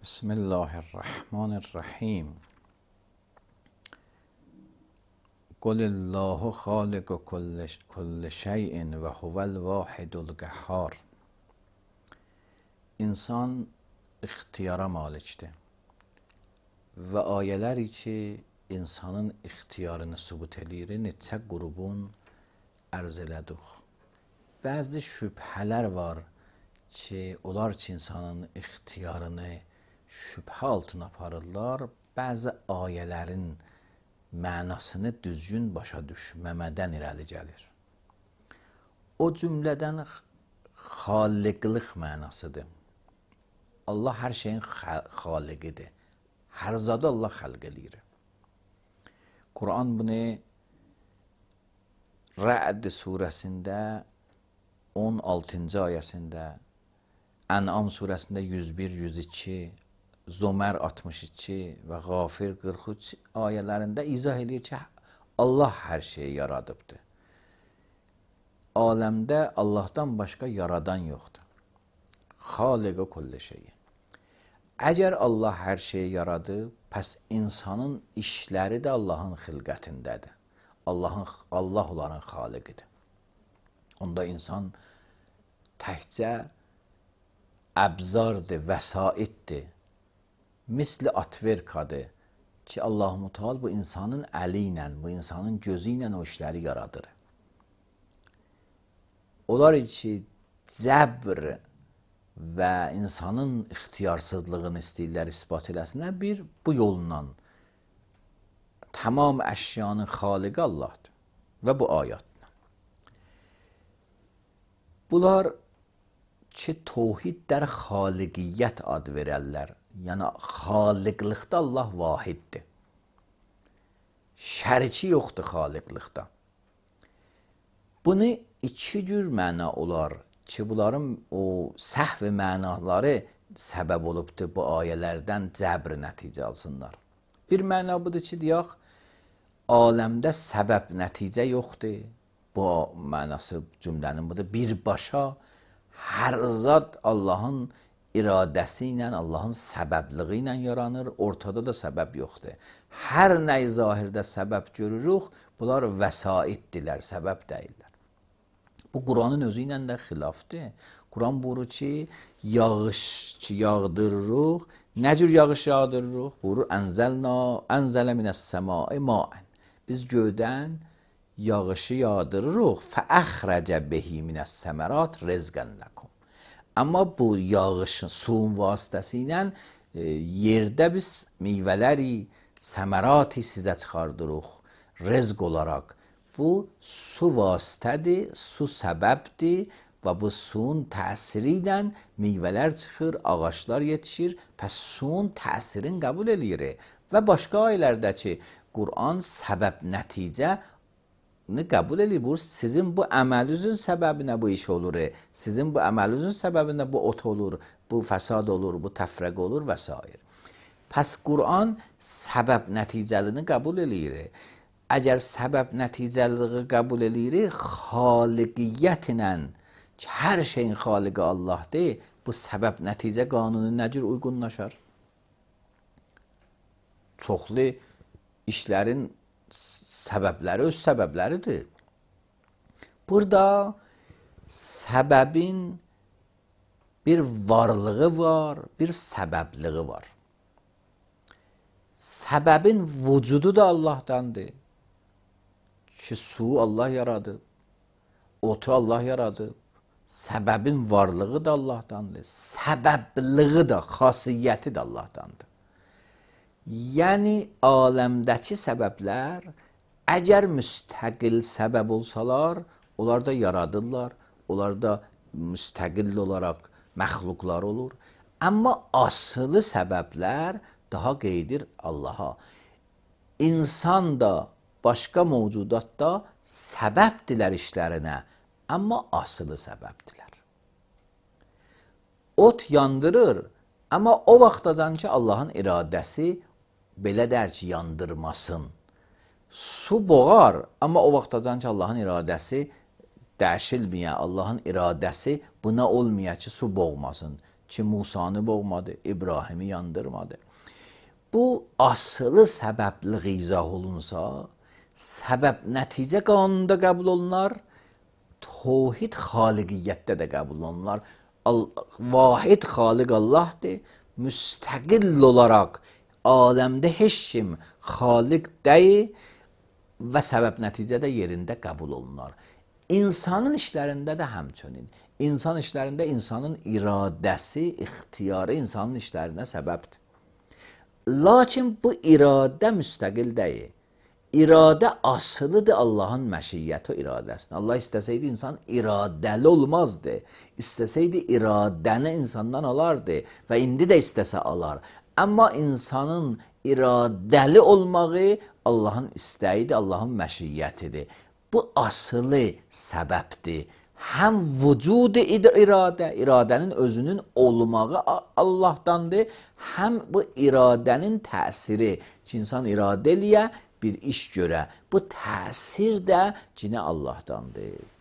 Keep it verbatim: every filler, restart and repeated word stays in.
بسم الله الرحمن الرحیم. قل الله خالق کل کل شیء و هو الواحد القهار. İnsan ixtiyara malikdir və ayələr ki, insanın ixtiyarını sübut edir, neçə qrubun ərz elədik. Bəzi şübhələr var ki, onlar ki, insanın ixtiyarını şübhə altına aparırlar, bəzi ayələrin mənasını düzgün başa düşməmədən irəli gəlir. O cümlədən xaliqlik mənasıdır. Allah hər şeyin xaliqidir. Hər zadı Allah xəlq eləyir. Quran bunu Rə'd surəsində on altıncı ayəsində, Ən'am surəsində yüz bir yüz iki, Zömər altmış iki və Qafir qırx üç ayələrində izah edir ki, Allah hər şeyi yaradıbdır. Aləmdə Allahdan başqa yaradan yoxdur. Xaliq-i kulli şeyi. Əgər Allah hər şeyi yaradıb, pəs insanın işləri də Allahın xilqətindədir. Allahın, Allah onların xaliqidir. Onda insan təkcə əbzardır, vəsaitdir. Misli atverkadır ki, Allah-u Teala bu insanın əli ilə, bu insanın gözü ilə o işləri yaradır. Onlar ki, cəbr və insanın ixtiyarsızlığını istəyirlər ispat eləsinlər, bir bu yolla tamam əşyanın xaliqi Allahdır və bu ayətlə. Bunlar ki, tohid dər xaliqiyyət ad verərlər. Yəni, xaliqlikdə Allah vahiddir. Şəriki yoxdur xaliqlikdə. Bunu iki cür məna olar ki, bunların o səhv mənaları səbəb olubdur bu ayələrdən cəbr nəticə alsınlar. Bir məna budur ki, deyək, aləmdə səbəb nəticə yoxdur. Bu mənası cümlənin budur. Birbaşa hər zat Allahın iradəsi ilə, Allahın səbəbliği ilə yaranır, ortada da səbəb yoxdur. Hər nəyi zahirdə səbəb görürük, bunlar vəsaitdirlər, səbəb deyirlər. Bu, Quranın özü ilə də xilafdır. Quran buyurur ki, yağış ki, yağdırırıq, nə cür yağış yağdırırıq? Buyurur, ənzəlna, ənzələ minəs-səmai maən. Biz göydən yağışı yağdırırıq, fəəxrəcə behi minəs-səmərat rizqən ləkum. Amma bu yağışın, suyun vasitəsilə e, yerdə biz meyvələri, səmərati sizə çıxardırıq, rezq olaraq. Bu, su vasitədir, su səbəbdir və bu suyun təsiri ilə meyvələr çıxır, ağaçlar yetişir, pəs suyun təsirini qəbul edir. Və başqa ayələrdə ki, Quran səbəb nəticə qəbul edir. Bu, sizin bu əməlinizin səbəbinə bu iş olur. Sizin bu əməlinizin səbəbinə bu ot olur, bu fəsad olur, bu təfrəq olur və s. Pəs Quran səbəb nəticəlini qəbul edir. Əgər səbəb nəticəliliği qəbul edir, xaliqiyyət ilə ki, hər şeyin xaliqi Allahdır, bu səbəb nəticə qanunu nə cür uyğunlaşar? Çoxlu işlərin səbəbləri öz səbəbləridir. Burada səbəbin bir varlığı var, bir səbəbliği var. Səbəbin vücudu da Allahdandır. Ki, su Allah yaradıb, otu Allah yaradıb, səbəbin varlığı da Allahdandır, səbəbliği da, xasiyyəti də Allahdandır. Yəni, aləmdəki səbəblər əgər müstəqil səbəb olsalar, onlar da yaradırlar, onlar da müstəqil olaraq məxluqlar olur. Amma asılı səbəblər daha qeydir Allaha. İnsan da, başqa mövcudat da səbəbdirlər işlərinə, amma asılı səbəbdirlər. Ot yandırır, amma o vaxtadan ki, Allahın iradəsi belə dər ki, yandırmasın. Su boğar, amma o vaxtadan ki, Allahın iradəsi dəşilməyə, Allahın iradəsi buna olmaya ki, su boğmasın. ki Musanı boğmadı, İbrahim'i yandırmadı. Bu asılı səbəbli izah olunsa, səbəb nəticə qanununda qəbul olunar, tevhid xaliqiyyətdə də qəbul olunlar. Vahid xaliq Allahdır, müstəqil olaraq aləmdə heç kim xaliq deyil və səbəb nəticədə yerində qəbul olunar. İnsanın işlərində də həmçinin. İnsan işlərində insanın iradəsi, ixtiyarı insanın işlərinə səbəbdir. Lakin bu iradə müstəqil deyil. İradə asılıdır Allahın məşiyyəti o iradəsində. Allah istəsəydi insan iradəli olmazdı. İstəsəydi iradəni insandan alardı və indi də istəsə alar. Amma insanın iradəli olmağı Allahın istəyidir, Allahın məşiyyətidir. Bu asılı səbəbdir. Həm vücud-i iradə, iradənin özünün olmağı Allahdandır, həm bu iradənin təsiri ki, insan iradə eləyə, bir iş görə. Bu təsir də yine Allah'tandır.